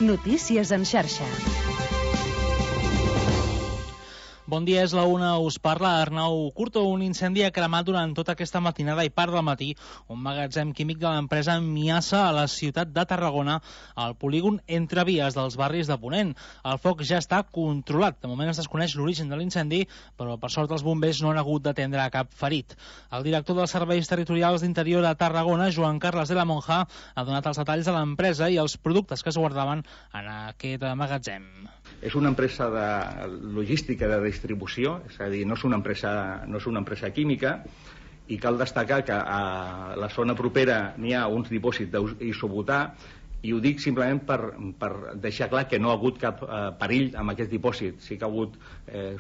Notícies en xarxa. Bon dia, és la una, us parla Arnau Curto. Un incendi ha cremat durant tota aquesta matinada i part del matí un magatzem químic de l'empresa Miasa a la ciutat de Tarragona, al polígon Entre Vies dels barris de Ponent. El foc ja està controlat. De moment es desconeix l'origen de l'incendi, però per sort els bombers no han hagut d'atendre cap ferit. El director dels Serveis Territorials d'Interior de Tarragona, Joan Carles de la Monja, ha donat els detalls de l'empresa i els productes que es guardaven en aquest magatzem. És una empresa de logística de distribució, és a dir, no és una empresa química, i cal destacar que a la zona propera n'hi ha uns dipòsits d'isobutà, i ho dic simplement per deixar clar que no ha hagut cap perill amb aquest dipòsit. Sí que ha hagut,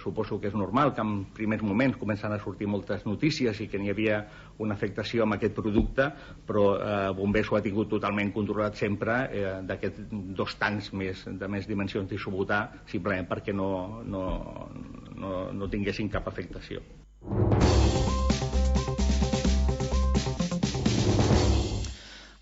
suposo que és normal, que en primers moments comencen a sortir moltes notícies i que n'hi havia una afectació amb aquest producte, però Bombers ho ha tingut totalment controlat sempre, d'aquests 2 tants de més dimensions d'isobutà, simplement perquè no tinguessin cap afectació.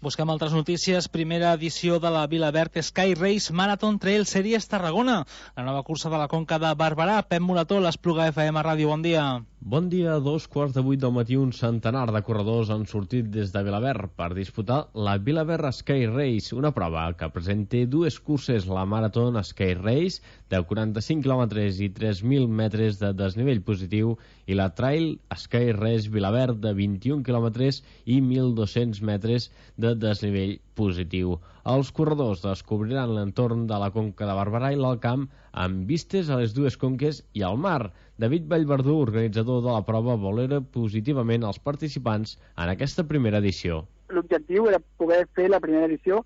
Busquem altres notícies. Primera edició de la Vilaverd Sky Race Marathon Trail Series Tarragona. La nova cursa de la Conca de Barberà. Pep Morató, l'Espluga FM Ràdio, bon dia. Bon dia. 2:15 del matí, un centenar de corredors han sortit des de Vilaverd per disputar la Vilaverd Sky Race, una prova que presenta 2 curses, la Marathon Sky Race de 45 quilòmetres i 3.000 metres de desnivell positiu i la Trail Sky Race Vilaverd de 21 quilòmetres i 1.200 metres de desnivell positiu. Els corredors descobriran l'entorn de la Conca de Barberà i l'Alt Camp amb vistes a les 2 conques i al mar. David Vallverdú, organitzador de la prova, valora positivament els participants en aquesta primera edició. L'objectiu era poder fer la primera edició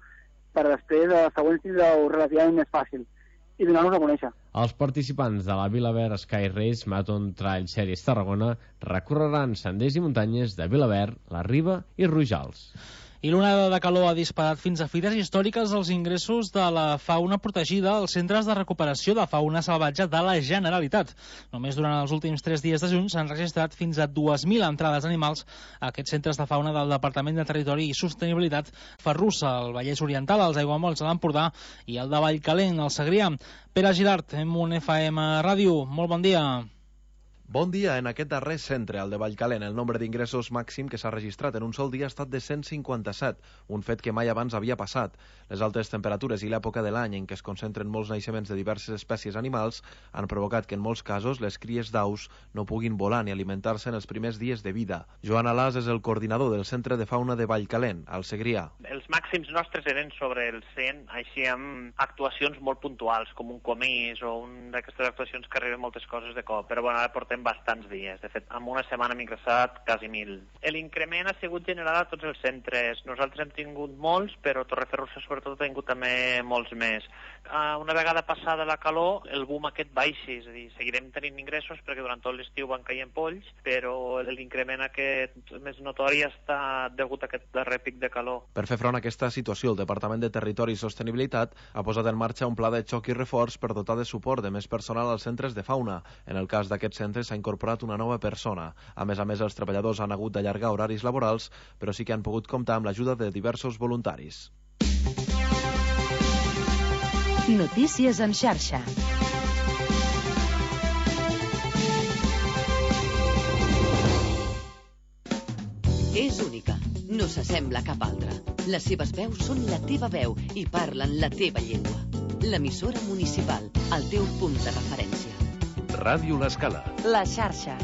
per després de la següent tindre-ho relativament més fàcil i donar-nos a conèixer. Els participants de la Vilaverd Sky Race Marathon Trail Series Tarragona recorreran senders i muntanyes de Vilaverd, la Riba i Rojals. I l'onada de calor ha disparat fins a fites històriques els ingressos de la fauna protegida als centres de recuperació de fauna salvatge de la Generalitat. Només durant els últims 3 dies de juny s'han registrat fins a 2.000 entrades animals a aquests centres de fauna del Departament de Territori i Sostenibilitat Ferrussa, al Vallès Oriental, als Aiguamolls de l'Empordà i el de Vallcalent, al Segrià. Pere Girart, M1 FM Ràdio, molt bon dia. Bon dia. En aquest darrer centre, el de Vallcalent, el nombre d'ingressos màxim que s'ha registrat en un sol dia ha estat de 157, un fet que mai abans havia passat. Les altes temperatures i l'època de l'any en què es concentren molts naixements de diverses espècies animals han provocat que en molts casos les cries d'aus no puguin volar ni alimentar-se en els primers dies de vida. Joan Alàs és el coordinador del Centre de Fauna de Vallcalent, al Segrià. Els màxims nostres eren sobre el 100, així amb actuacions molt puntuals, com un comís o d'aquestes actuacions que arriben moltes coses de cop, però bueno, ara portem bastants dies. De fet, en una setmana hem ingressat quasi 1.000. L'increment ha sigut general a tots els centres. Nosaltres hem tingut molts, però Torreferrussa sobretot ha tingut també molts més. Una vegada passada la calor, el boom aquest baixi, és a dir, seguirem tenint ingressos perquè durant tot l'estiu van caient polls, però l'increment aquest més notori està degut a aquest darrer pic de calor. Per fer front a aquesta situació, el Departament de Territori i Sostenibilitat ha posat en marxa un pla de xoc i reforç per dotar de suport de més personal als centres de fauna. En el cas d'aquests centres s'ha incorporat una nova persona. A més, els treballadors han hagut d'allargar horaris laborals, però sí que han pogut comptar amb l'ajuda de diversos voluntaris. Notícies en xarxa. És única, no s'assembla a cap altra. Les seves veus són la teva veu i parlen la teva llengua. L'emissora municipal, el teu punt de referència. Ràdio L'Escala. La xarxa.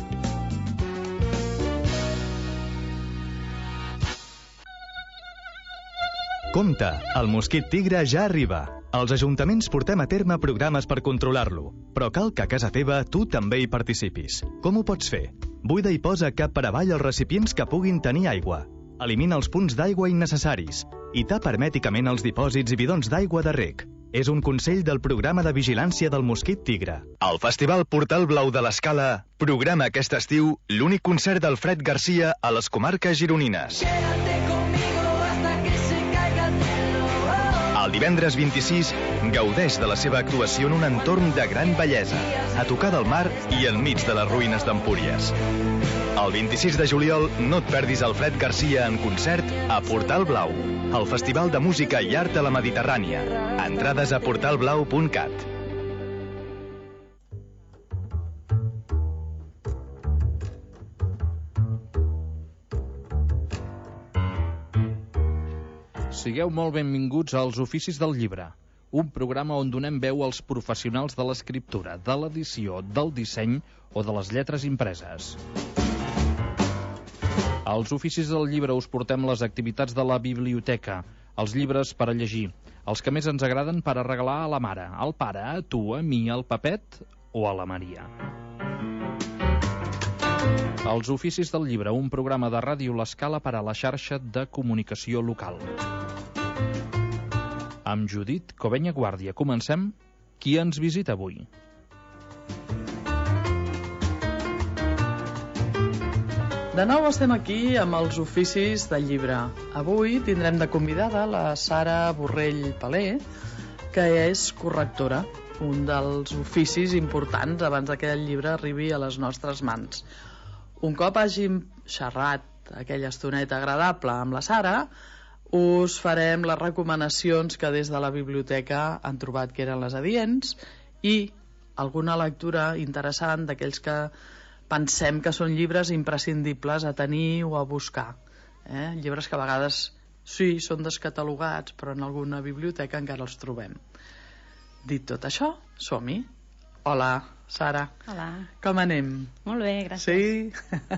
Compte, el mosquit tigre ja arriba. Els ajuntaments portem a terme programes per controlar-lo, però cal que a casa teva tu també hi participis. Com ho pots fer? Buida i posa cap per avall els recipients que puguin tenir aigua. Elimina els punts d'aigua innecessaris i tapa hermèticament els dipòsits i bidons d'aigua de reg. És un consell del programa de vigilància del mosquit tigre. El Festival Portal Blau de l'Escala programa aquest estiu l'únic concert d'Alfred Garcia a les comarques gironines. El divendres 26 gaudeix de la seva actuació en un entorn de gran bellesa, a tocar del mar i enmig de les ruïnes d'Empúries. El 26 de juliol no et perdis Alfred Garcia en concert a Portal Blau, el Festival de Música i Art de la Mediterrània. Entrades a portalblau.cat. Sigueu molt benvinguts als Oficis del Llibre, un programa on donem veu als professionals de l'escriptura, de l'edició, del disseny o de les lletres impreses. Als Oficis del Llibre us portem les activitats de la biblioteca, els llibres per a llegir, els que més ens agraden per a regalar a la mare, al pare, a tu, a mi, al Pepet o a la Maria. Els Oficis del Llibre, un programa de Ràdio L'Escala per a la xarxa de comunicació local. Amb Judit Covenya Guàrdia comencem. Qui ens visita avui? De nou estem aquí amb els Oficis del Llibre. Avui tindrem de convidada la Sara Borrell Palé, que és correctora, un dels oficis importants abans que el llibre arribi a les nostres mans. Un cop hàgim xerrat aquella estoneta agradable amb la Sara, us farem les recomanacions que des de la biblioteca han trobat que eren les adients i alguna lectura interessant d'aquells que pensem que són llibres imprescindibles a tenir o a buscar. Llibres que a vegades sí, són descatalogats, però en alguna biblioteca encara els trobem. Dit tot això, som-hi. Hola, Sara. Hola. Com anem? Molt bé, gràcies. Sí?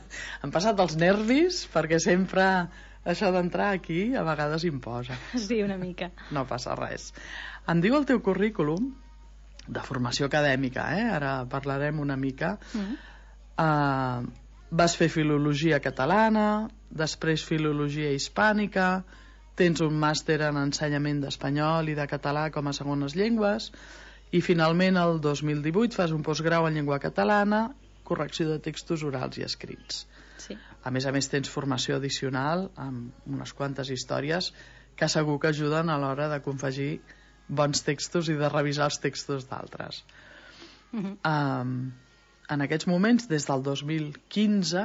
Han passat els nervis, perquè sempre això d'entrar aquí a vegades imposa. Sí, una mica. No passa res. Em diu el teu currículum de formació acadèmica, ara parlarem una mica. Vas fer filologia catalana, després filologia hispànica, tens un màster en ensenyament d'espanyol i de català com a segones llengües i finalment el 2018 fas un postgrau en llengua catalana, correcció de textos orals i escrits. Sí. A més tens formació addicional amb unes quantes històries que segur que ajuden a l'hora de confegir bons textos i de revisar els textos d'altres. En aquests moments, des del 2015,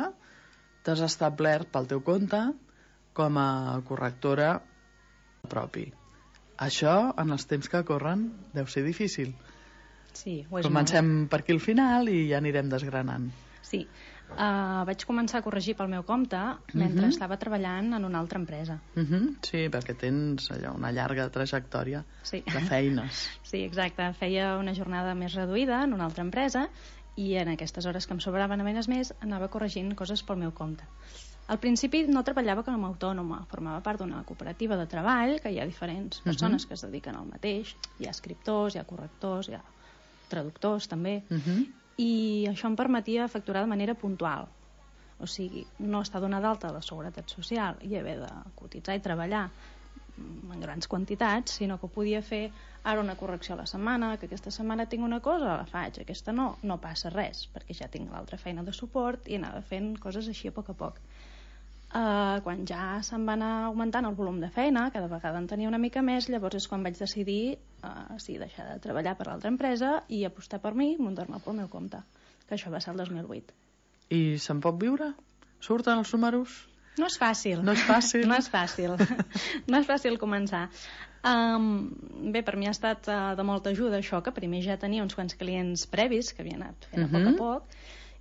t'has establert pel teu compte com a correctora propi. Això, en els temps que corren, deu ser difícil. Sí, ho és. Comencem per aquí al final i ja anirem desgranant. Sí. Vaig començar a corregir pel meu compte mentre estava treballant en una altra empresa. Sí, perquè tens allò, una llarga trajectòria de feines. Sí, exacte. Feia una jornada més reduïda en una altra empresa i en aquestes hores que em sobraven a més anava corregint coses pel meu compte. Al principi no treballava com a autònoma, formava part d'una cooperativa de treball, que hi ha diferents persones que es dediquen al mateix. Hi ha escriptors, hi ha correctors, hi ha traductors també, i això em permetia facturar de manera puntual. O sigui, no estar donada d'alta a la Seguretat Social i haver de cotitzar i treballar en grans quantitats, sinó que ho podia fer ara una correcció a la setmana, que aquesta setmana tinc una cosa, la faig, aquesta no passa res, perquè ja tinc l'altra feina de suport i anava fent coses així a poc a poc. Quan ja se'n va anar augmentant el volum de feina, cada vegada en tenia una mica més, llavors és quan vaig decidir deixar de treballar per l'altra empresa i apostar per mi i muntar-me pel meu compte, que això va ser el 2008. I se'n pot viure? Surten els números? No és fàcil. No és fàcil? No és fàcil. No és fàcil començar. Bé, per mi ha estat de molta ajuda això, que primer ja tenia uns quants clients previs que havien anat fent a poc a poc,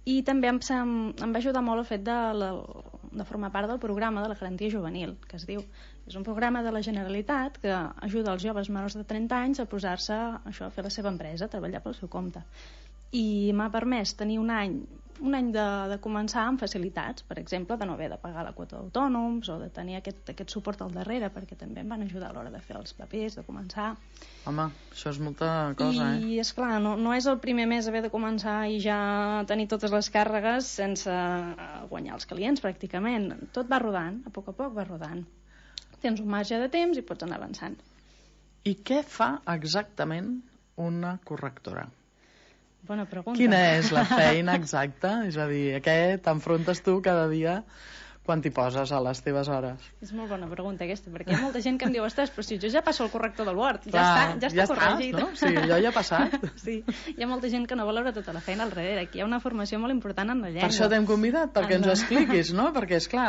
i també em va ajudar molt el fet de formar part del programa de la garantia juvenil, que es diu. És un programa de la Generalitat que ajuda els joves menors de 30 anys a posar-se a fer la seva empresa, a treballar pel seu compte. I m'ha permès tenir un any de començar amb facilitats, per exemple, de no haver de pagar la quota d'autònoms o de tenir aquest suport al darrere, perquè també em van ajudar a l'hora de fer els papers, de començar. Home, això és molta cosa, I esclar, no és el primer mes haver de començar i ja tenir totes les càrregues sense guanyar els clients, pràcticament. Tot va rodant, a poc va rodant. Tens un marge de temps i pots anar avançant. I què fa exactament una correctora? Bona pregunta. Quina és la feina exacta? És a dir, a què t'enfrontes tu cada dia quan t'hi poses a les teves hores? És molt bona pregunta aquesta, perquè hi ha molta gent que em diu, ostres, però si jo ja passo el corrector del Word, Clar, ja està corregit. No? Sí, allò ja ha passat. Sí, hi ha molta gent que no valora tota la feina al darrere. Aquí hi ha una formació molt important en la llengua. Per això t'hem convidat, perquè ens ho expliquis, no? Perquè, esclar,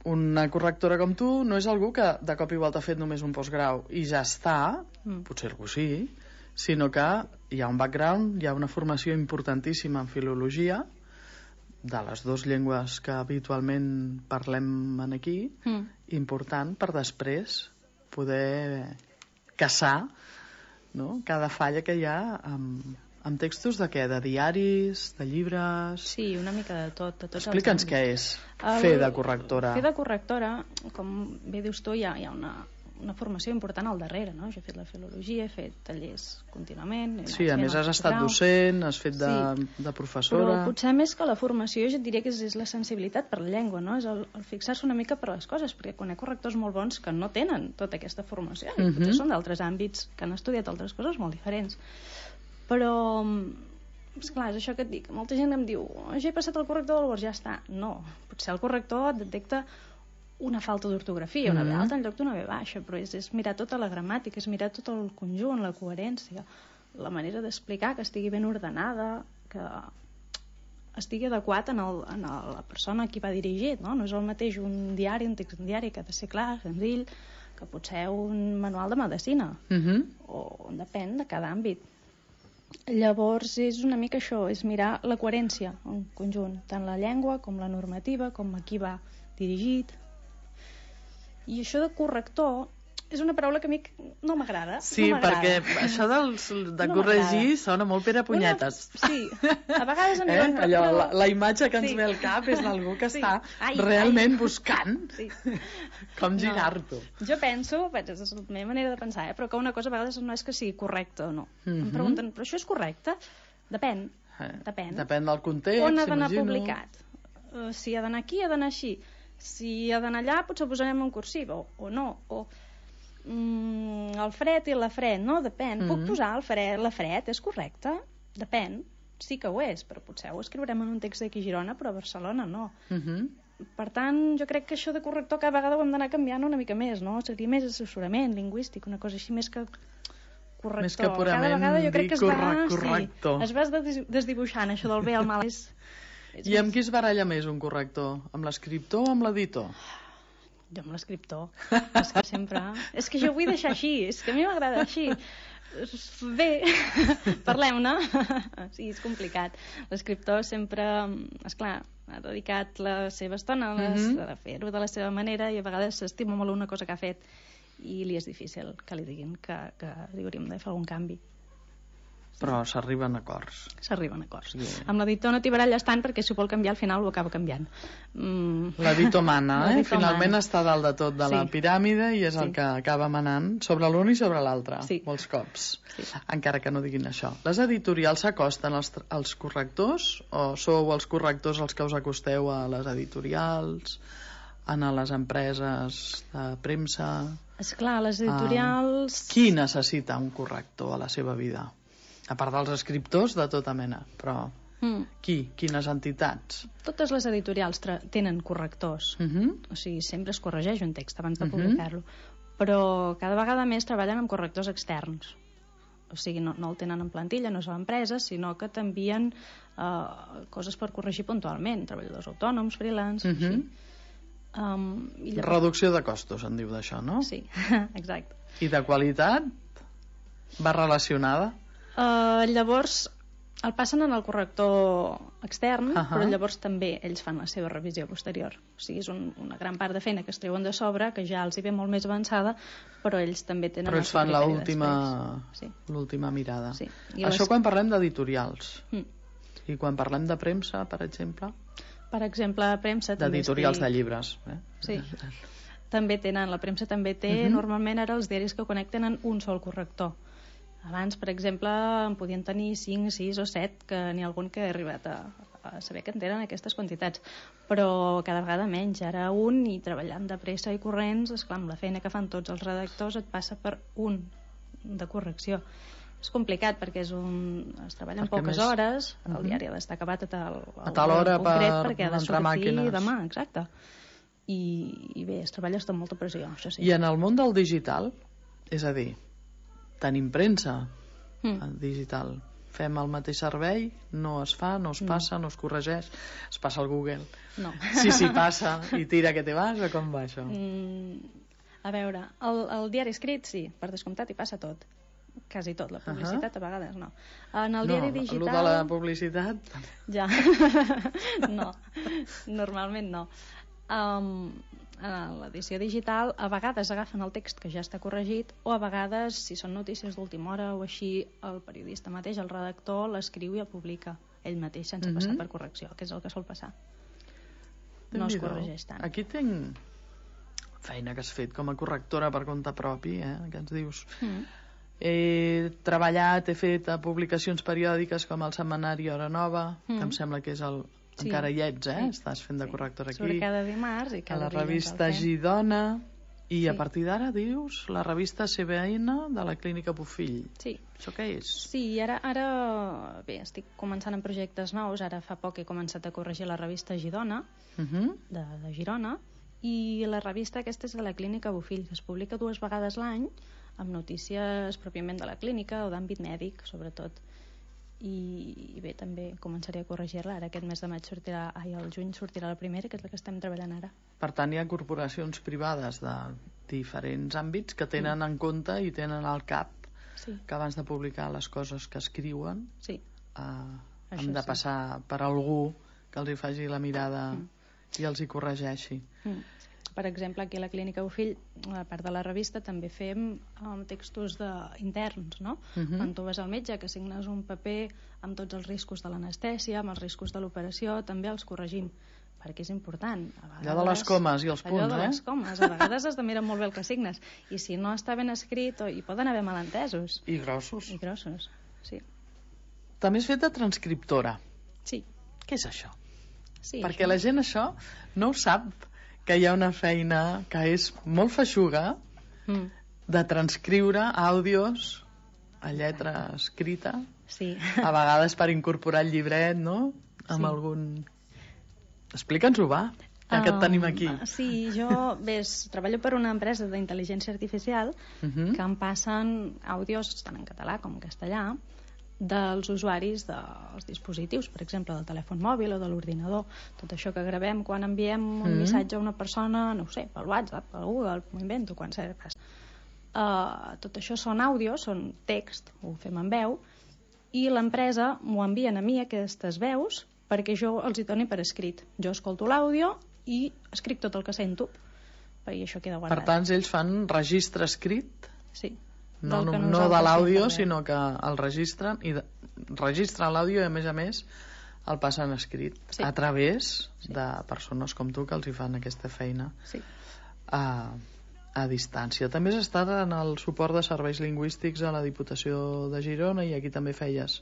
una correctora com tu no és algú que de cop i volta ha fet només un postgrau i ja està, potser algú sí, sinó que hi ha un background, hi ha una formació importantíssima en filologia, de les dues llengües que habitualment parlem aquí, important per després poder caçar, no?, cada falla que hi ha amb textos de què? De diaris, de llibres... Sí, una mica de tot. Explica'ns què és fer de correctora. Fer de correctora, com bé dius tu, hi ha una formació important al darrere, no? Jo he fet la filologia, he fet tallers contínuament... Sí, a més has estat docent, has fet de professora... Però potser més que la formació jo et diria que és la sensibilitat per la llengua, no? És el fixar-se una mica per les coses, perquè quan hi ha correctors molt bons que no tenen tota aquesta formació, i potser són d'altres àmbits que han estudiat altres coses molt diferents. Però, esclar, és això que et dic, molta gent em diu, ja he passat el corrector del Word, ja està. No, potser el corrector et detecta una falta d'ortografia, una B alta en lloc d'una B baixa, però és mirar tota la gramàtica, és mirar tot el conjunt, la coherència, la manera d'explicar, que estigui ben ordenada, que estigui adequat a la persona a qui va dirigit, no? No és el mateix un diari, un text diari, que ha de ser clar, senzill, que potser un manual de medicina, o depèn de cada àmbit. Llavors és una mica això, és mirar la coherència en conjunt, tant la llengua com la normativa, com a qui va dirigit. I això de corrector és una paraula que a mi no m'agrada. Sí, perquè això de corregir sona molt Pere Punyetes. Sí, a vegades em diuen... La imatge que ens ve al cap és d'algú que està realment buscant com girar-t'ho. Jo penso, és la meva manera de pensar, però que una cosa a vegades no és que sigui correcte o no. Em pregunten, però això és correcte? Depèn. Depèn del context, on ha d'anar publicat? Si ha d'anar aquí, ha d'anar així. Si ha d'anar allà, potser posarem un cursiu, o no, o el fred i la fred, no? Depèn. Puc posar la fred, és correcte? Depèn. Sí que ho és, però potser ho escriurem en un text d'aquí a Girona, però a Barcelona no. Per tant, jo crec que això de corrector cada vegada ho hem d'anar canviant una mica més, no? Seria més assessorament lingüístic, una cosa així més que corrector. Més que purament dir corrector. Es va desdibuixant, això del bé al mal. I amb qui es baralla més un corrector? Amb l'escriptor o amb l'editor? Jo amb l'escriptor. És que sempre... És que jo vull deixar així, és que a mi m'agrada així. Bé, parlem-ne. Sí, és complicat. L'escriptor sempre, esclar, ha dedicat la seva estona a fer-ho de la seva manera i a vegades s'estima molt una cosa que ha fet i li és difícil que li diguin que li hauríem de fer algun canvi. Però s'arriben a acords. S'arriben a acords. Amb l'editor no t'hi baralles tant perquè si ho vol canviar al final ho acaba canviant. L'editor mana, finalment està dalt de tot de la piràmide i és el que acaba manant sobre l'un i sobre l'altre, molts cops. Encara que no diguin això. Les editorials s'acosten als correctors o sou els correctors els que us acosteu a les editorials, a les empreses de premsa? Esclar, les editorials... Qui necessita un corrector a la seva vida? A part dels escriptors de tota mena, però qui? Quines entitats? Totes les editorials tenen correctors. O sigui, sempre es corregeix un text abans de publicar-lo. Però cada vegada més treballen amb correctors externs. O sigui, no el tenen en plantilla, no són empreses, sinó que t'envien coses per corregir puntualment. Treballadors autònoms, freelance, així. Reducció de costos, en diu d'això, no? Sí, exacte. I de qualitat? Va relacionada? Llavors el passen en el corrector extern, però llavors també ells fan la seva revisió posterior. O sigui, és una gran part de feina que es treuen de sobre, que ja els hi ve molt més avançada, però ells també tenen... Però ells fan l'última mirada. Sí. Això quan parlem d'editorials. I quan parlem de premsa, per exemple? Per exemple, premsa... D'editorials de llibres. Sí. També tenen, la premsa també té, normalment ara els diaris que connecten en un sol corrector. Abans, per exemple, en podien tenir 5, 6 o 7, que n'hi ha algun que ha arribat a saber que en tenen aquestes quantitats. Però cada vegada menys. Ara un, i treballant de pressa i corrents, esclar, amb la feina que fan tots els redactors, et passa per un de correcció. És complicat perquè es treballa en poques hores, el diari ha d'estar acabat a tal hora perquè ha de entrar sortir màquines. demà, exacte. I bé, es treballa amb molta pressió, això sí. I en el món del digital, és a dir, tenim premsa digital, fem el mateix servei, no es fa, no es passa, no es corregeix, es passa al Google. No. Sí, passa i tira que te vas, o com va això? A veure, el diari escrit, sí, per descomptat hi passa tot. Quasi tot, la publicitat a vegades no. En el diari digital... No, el de la publicitat... Ja, no, normalment no. En l'edició digital a vegades agafen el text que ja està corregit o a vegades, si són notícies d'última hora o així, el periodista mateix, el redactor, l'escriu i el publica ell mateix sense passar per correcció, que és el que sol passar. No es corregeix tant. Aquí tinc feina que has fet com a correctora per compte propi, que ens dius... He treballat, he fet publicacions periòdiques com el setmanari Hora Nova, que em sembla que és el... Encara hi ets, estàs fent de correctora aquí. Sobre cada dimarts i cada a la revista Girona, i a partir d'ara dius la revista CBN de la Clínica Bofill. Sí. Això què és? Sí, ara bé, estic començant en projectes nous, ara fa poc he començat a corregir la revista Girona, de Girona, i la revista aquesta és de la Clínica Bofill, que es publica 2 vegades l'any, amb notícies pròpiament de la clínica o d'àmbit mèdic, sobretot. I bé, també començaré a corregir-la. Ara aquest mes de maig al juny sortirà la primera, que és la que estem treballant ara. Per tant, hi ha corporacions privades de diferents àmbits que tenen en compte i tenen al cap que abans de publicar les coses que escriuen han de passar per algú que els hi faci la mirada i els hi corregeixi. Per exemple, aquí a la Clínica Bofill, a part de la revista, també fem textos interns, no? Quan tu vas al metge, que signes un paper amb tots els riscos de l'anestèsia, amb els riscos de l'operació, també els corregim, perquè és important. Allò de les comes i els punts, Allò de les comes, a vegades has de mirar molt bé el que signes, i si no està ben escrit, hi poden haver malentesos. I grossos. I grossos, sí. També has fet de transcriptora. Sí. Què és això? Sí, perquè la gent això no ho sap, que hi ha una feina que és molt feixuga de transcriure àudios a lletra escrita, a vegades per incorporar el llibret, no? Amb algun... Explica'ns-ho, va, ja que et tenim aquí. Sí, jo treballo per una empresa d'intel·ligència artificial que em passen àudios tant en català com en castellà dels usuaris dels dispositius, per exemple del telèfon mòbil o de l'ordinador. Tot això que gravem quan enviem un missatge a una persona, no ho sé, pel WhatsApp, pel Google, m'ho invento, quan seràs. Tot això són àudios, són text, ho fem en veu, i l'empresa m'ho envien a mi, aquestes veus, perquè jo els hi doni per escrit. Jo escolto l'àudio i escric tot el que sento, perquè això queda guardat. Per tant, ells fan registre escrit? Sí. No de l'àudio, sinó que el registren i registren l'àudio i a més el passen escrit a través de persones com tu que els hi fan aquesta feina a distància. També has estat en el suport de serveis lingüístics a la Diputació de Girona i aquí també feies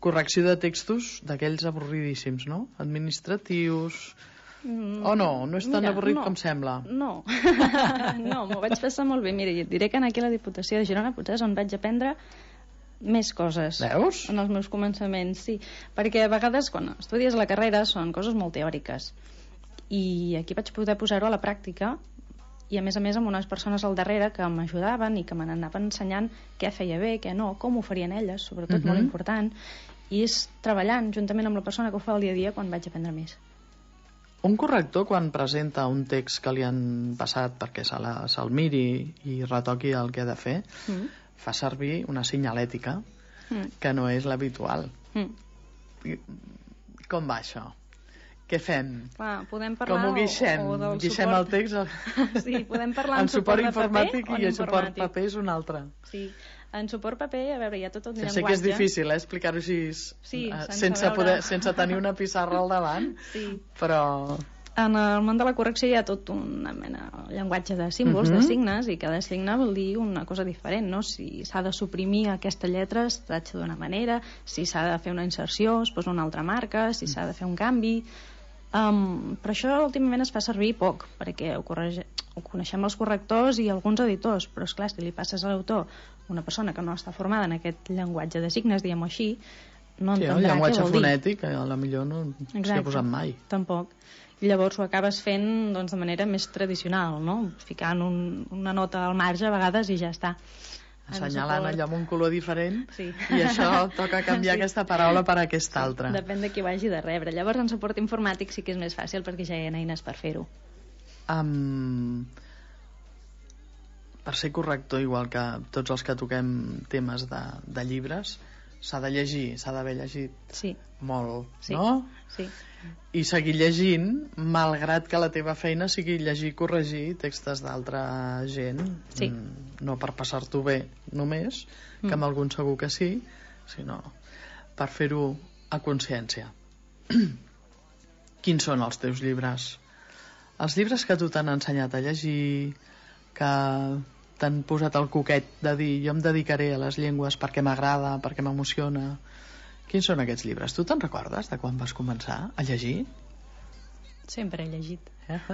correcció de textos d'aquells avorridíssims, no? Administratius... O no és tan avorrit com sembla? No, m'ho vaig passar molt bé. Mira, et diré que aquí a la Diputació de Girona potser és on vaig aprendre més coses. Veus? En els meus començaments, sí. Perquè a vegades quan estudies la carrera són coses molt teòriques i aquí vaig poder posar-ho a la pràctica i a més amb unes persones al darrere que m'ajudaven i que me n'anaven ensenyant què feia bé, què no, com ho farien elles, sobretot molt important, i és treballant juntament amb la persona que ho fa el dia a dia quan vaig aprendre més. Un corrector, quan presenta un text que li han passat perquè se'l miri i retoqui el que ha de fer, fa servir una senyalètica que no és l'habitual. Com va això? Què fem? Podem parlar... Com ho guixem? Guixem el text? Sí, podem parlar en suport informàtic i en suport paper és un altre. Sí, en suport paper, a veure, hi ha tot un llenguatge. Sé que és difícil, explicar-ho així sense tenir una pissarra al davant, però... En el món de la correcció hi ha tot una mena de llenguatge de símbols, de signes, i cada signe vol dir una cosa diferent, no? Si s'ha de suprimir aquesta lletra es tracta d'una manera, si s'ha de fer una inserció es posa una altra marca, si s'ha de fer un canvi... Però això últimament es fa servir poc, perquè ho coneixem els correctors i alguns editors, però esclar, si li passes a l'autor una persona que no està formada en aquest llenguatge de signes, diguem-ho així, no entendrà què vol dir. El llenguatge fonètic, a la millor no s'hi ha posat mai. Tampoc. I llavors ho acabes fent doncs, de manera més tradicional, no? Ficant una nota al marge a vegades i ja està. Assenyalant allò amb un color diferent, sí. I això toca canviar aquesta paraula per aquesta altra. Depèn de qui ho hagi de rebre. Llavors en suport informàtic sí que és més fàcil perquè ja hi ha eines per fer-ho. Per ser corrector, igual que tots els que toquem temes de llibres, s'ha de llegir, s'ha d'haver llegit molt, no? Sí. I seguir llegint, malgrat que la teva feina sigui llegir i corregir textos d'altra gent, no per passar-t'ho bé només, que amb algun segur que sí, sinó per fer-ho a consciència. Quins són els teus llibres? Els llibres que tu t'han ensenyat a llegir, que t'han posat el coquet de dir jo em dedicaré a les llengües perquè m'agrada, perquè m'emociona. Quins són aquests llibres? Tu te'n recordes de quan vas començar a llegir? Sempre he llegit.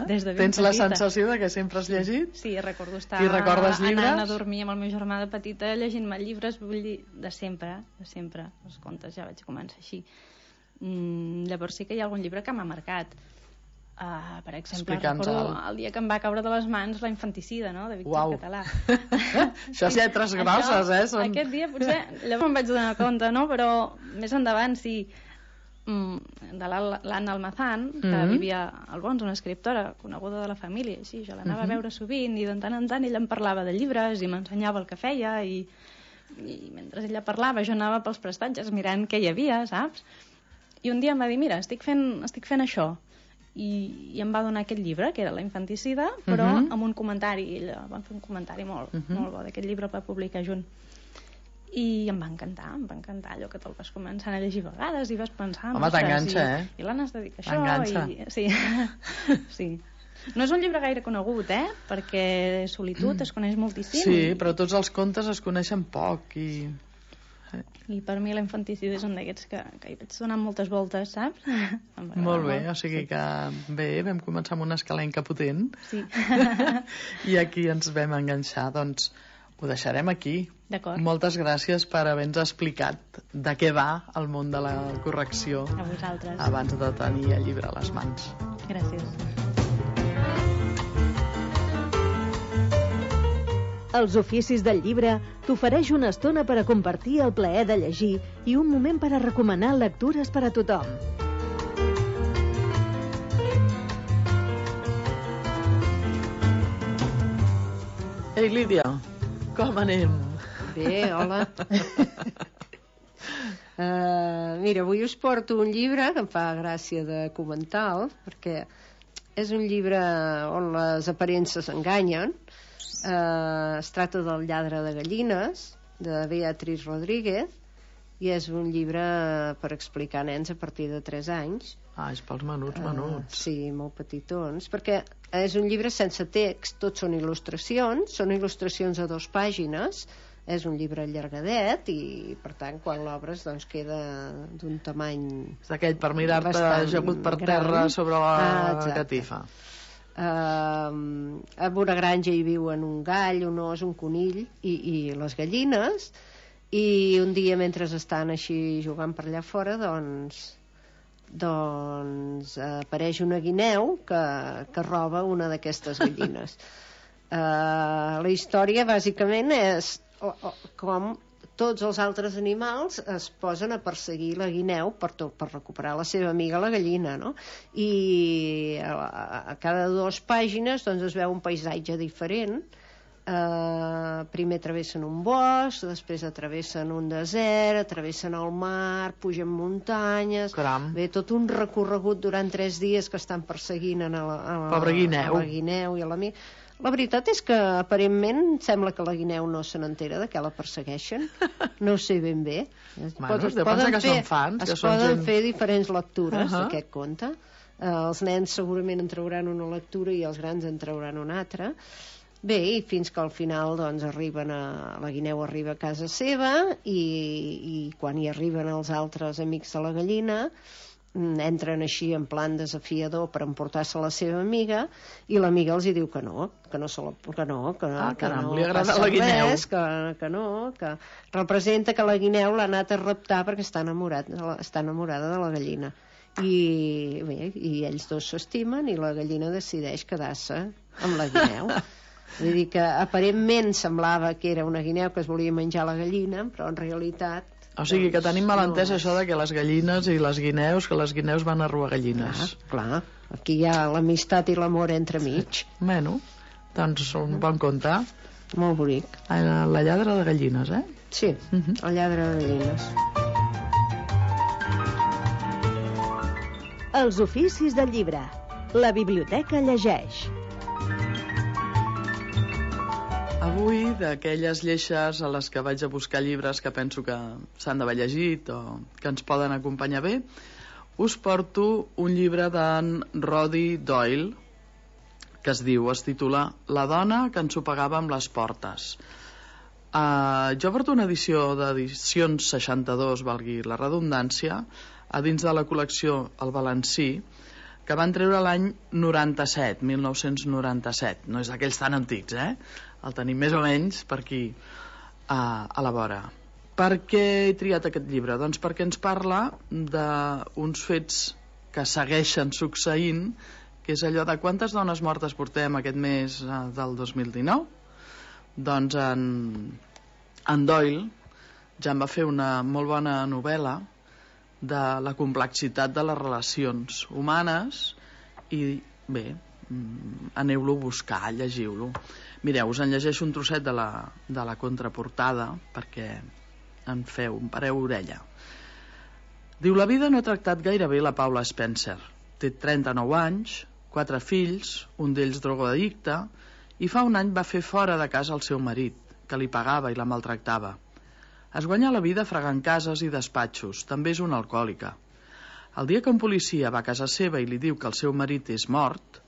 Des de ben Tens petita. La sensació de que sempre has llegit? Sí, recordo estar anant a dormir amb el meu germà de petita llegint-me llibres, vull dir, de sempre. Els contes ja vaig començar així. Llavors sí que hi ha algun llibre que m'ha marcat. Per exemple, recordo el dia que em va caure de les mans La infanticida, no?, de Víctor Català. Això és lletres grosses, Aquest dia potser, llavors em vaig donar compte, no?, però més endavant sí, de l'Anna Almazán, que vivia a Albons, una escriptora coneguda de la família, i sí, jo l'anava a veure sovint i de tant en tant ella em parlava de llibres i m'ensenyava el que feia i mentre ella parlava jo anava pels prestatges mirant què hi havia, saps? I un dia em va dir, mira, estic fent això. I em va donar aquest llibre, que era La infanticida, però amb un comentari. Ella va fer un comentari molt bo d'aquest llibre, el va publicar junt. I em va encantar allò que te'l vas començar a llegir a vegades i vas pensar... Home, t'enganxa, I l'Anna es dedica a això. Sí. No és un llibre gaire conegut, perquè Solitud es coneix moltíssim. Sí, però tots els contes es coneixen poc i per mi La infanticida és un d'aquests que hi vaig donar moltes voltes, saps? Molt bé, o sigui que vam començar amb una escalenca potent i aquí ens vam enganxar, doncs ho deixarem aquí. D'acord. Moltes gràcies per haver-nos explicat de què va el món de la correcció a vosaltres abans de tenir el llibre a les mans. Gràcies. Els oficis del llibre t'ofereix una estona per a compartir el plaer de llegir i un moment per a recomanar lectures per a tothom. Ei, Lídia, com anem? Bé, hola. Mira, avui us porto un llibre que em fa gràcia de comentar, perquè és un llibre on les aparences enganyen. Es tracta del lladre de gallines de Beatriz Rodríguez i és un llibre per explicar a nens a partir de 3 anys. És pels menuts. Sí, molt petitons, perquè és un llibre sense text, tots són il·lustracions a 2 pàgines, és un llibre allargadet i per tant quan l'obres doncs queda d'un tamany és d'aquell per mirar-te ajagut per terra sobre la catifa. A una granja hi viuen un gall, un os, un conill i les gallines, i un dia mentre estan així jugant per allà fora doncs apareix una guineu que roba una d'aquestes gallines. La història bàsicament és com tots els altres animals es posen a perseguir la guineu per recuperar la seva amiga la gallina, no? I a cada 2 pàgines doncs es veu un paisatge diferent. Primer travessen un bosc, després travessen un desert, travessen el mar, pugen muntanyes. Bé, tot un recorregut durant 3 dies que estan perseguint a la guineu i a l'amic. La veritat és que aparentment sembla que la guineu no se n'entera de què la persegueixen, no ho sé ben bé. Es poden fer diferents lectures d'aquest conte. Els nens segurament en trauran una lectura i els grans en trauran una altra. Bé, i fins que al final doncs la guineu arriba a casa seva i quan hi arriben els altres amics de la gallina entren així en plan desafiador per emportar-se la seva amiga, i l'amiga els hi diu que no, que no, li agrada la guineu. Que no, que representa que la guineu l'ha anat a raptar perquè està enamorada de la gallina. I bé, i ells dos s'estimen i la gallina decideix quedar-se amb la guineu. Vull dir que aparentment semblava que era una guineu que es volia menjar la gallina, però en realitat... O sigui que tenim mal entès això de que les gallines i les guineus, que les guineus van a robar gallines. Clar, aquí hi ha l'amistat i l'amor entremig. Bueno, doncs un bon conte. Molt bonic. La lladre de gallines, eh? Sí, la lladre de gallines. Els oficis del llibre. La biblioteca llegeix. Avui, d'aquelles lleixes a les que vaig a buscar llibres que penso que s'han d'haver llegit o que ens poden acompanyar bé, us porto un llibre d'en Roddy Doyle que es titula La dona que ensopegava amb les portes. Jo porto una edició d'edicions 62, valgui la redundància, a dins de la col·lecció El Valencí, que van treure l'any 97, 1997. No és d'aquells tan antics, eh? El tenim més o menys per aquí a la vora. Per què he triat aquest llibre? Doncs perquè ens parla d'uns fets que segueixen succeint, que és allò de quantes dones mortes portem aquest mes del 2019? Doncs en Doyle ja en va fer una molt bona novel·la de la complexitat de les relacions humanes i bé, aneu-lo a buscar, llegiu-lo. Mireu, us en llegeixo un trosset de la contraportada perquè en pareu orella. Diu: la vida no ha tractat gaire bé la Paula Spencer. Té 39 anys, 4 fills, un d'ells drogoaddicte, i fa un any va fer fora de casa el seu marit, que li pagava i la maltractava. Es guanya la vida fregant cases i despatxos, també és una alcohòlica. El dia que un policia va a casa seva i li diu que el seu marit és mort,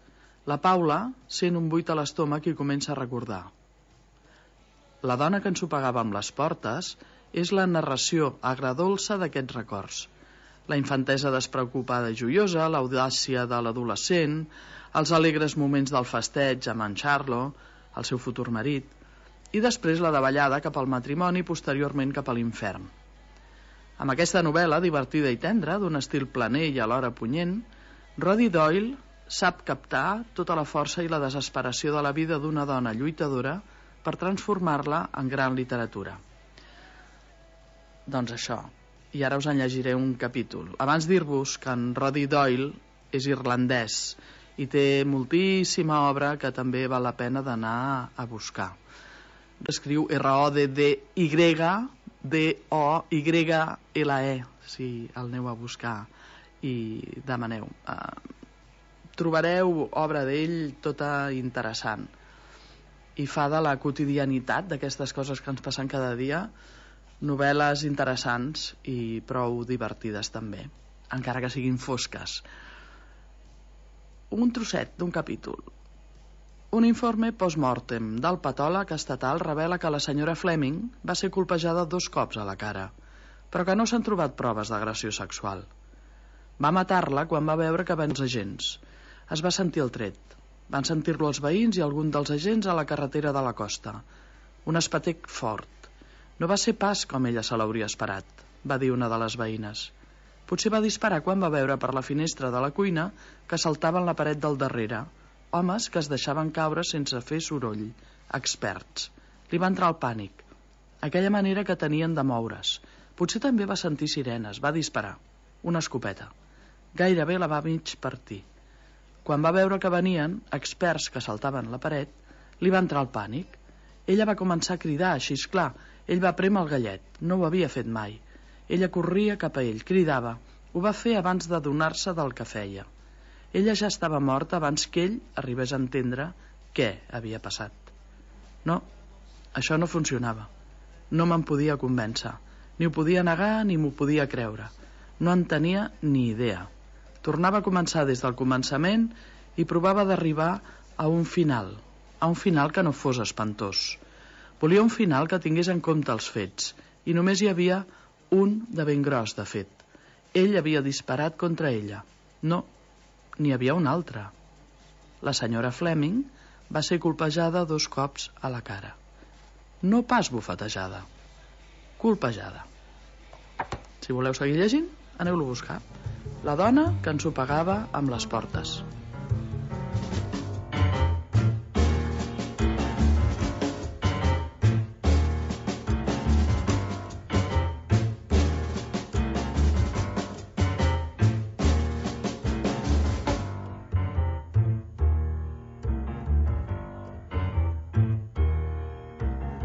la Paula sent un buit a l'estómac i comença a recordar. La dona que ensopegava amb les portes és la narració agredolça d'aquests records. La infantesa despreocupada i joiosa, l'audàcia de l'adolescent, els alegres moments del festeig amb en Charlo, el seu futur marit, i després la davallada cap al matrimoni i posteriorment cap a l'infern. Amb aquesta novel·la, divertida i tendra, d'un estil planer i alhora punyent, Roddy Doyle sap captar tota la força i la desesperació de la vida d'una dona lluitadora per transformar-la en gran literatura. Doncs això, i ara us en llegiré un capítol. Abans dir-vos que en Roddy Doyle és irlandès i té moltíssima obra que també val la pena d'anar a buscar. Escriu R-O-D-D-Y-D-O-Y-L-E, si el aneu a buscar i demaneu. Trobareu obra d'ell tota interessant i fa de la quotidianitat d'aquestes coses que ens passen cada dia novel·les interessants i prou divertides també, encara que siguin fosques. Un trosset d'un capítol. Un informe post-mortem del patòleg estatal revela que la senyora Fleming va ser colpejada 2 cops a la cara, però que no s'han trobat proves d'agressió sexual. Va matar-la quan va veure que venen els agents. Es va sentir el tret. Van sentir-lo els veïns i algun dels agents a la carretera de la costa. Un espetec fort. No va ser pas com ella se l'hauria esperat, va dir una de les veïnes. Potser va disparar quan va veure per la finestra de la cuina que saltaven la paret del darrere, homes que es deixaven caure sense fer soroll, experts. Li va entrar el pànic. Aquella manera que tenien de moure's. Potser també va sentir sirenes, va disparar. Una escopeta. Gairebé la va mig partir. Quan va veure que venien, experts que saltaven la paret, li va entrar el pànic. Ella va començar a cridar, així és clar. Ell va prémer el gallet, no ho havia fet mai. Ella corria cap a ell, cridava. Ho va fer abans d'adonar-se del que feia. Ella ja estava morta abans que ell arribés a entendre què havia passat. No, això no funcionava. No me'n podia convèncer. Ni ho podia negar ni m'ho podia creure. No en tenia ni idea. Tornava a començar des del començament i provava d'arribar a un final que no fos espantós. Volia un final que tingués en compte els fets, i només hi havia un de ben gros, de fet. Ell havia disparat contra ella. No, n'hi havia una altra. La senyora Fleming va ser colpejada 2 cops a la cara. No pas bufetejada, colpejada. Si voleu seguir llegint, aneu-lo a buscar. La dona que ensopegava amb les portes.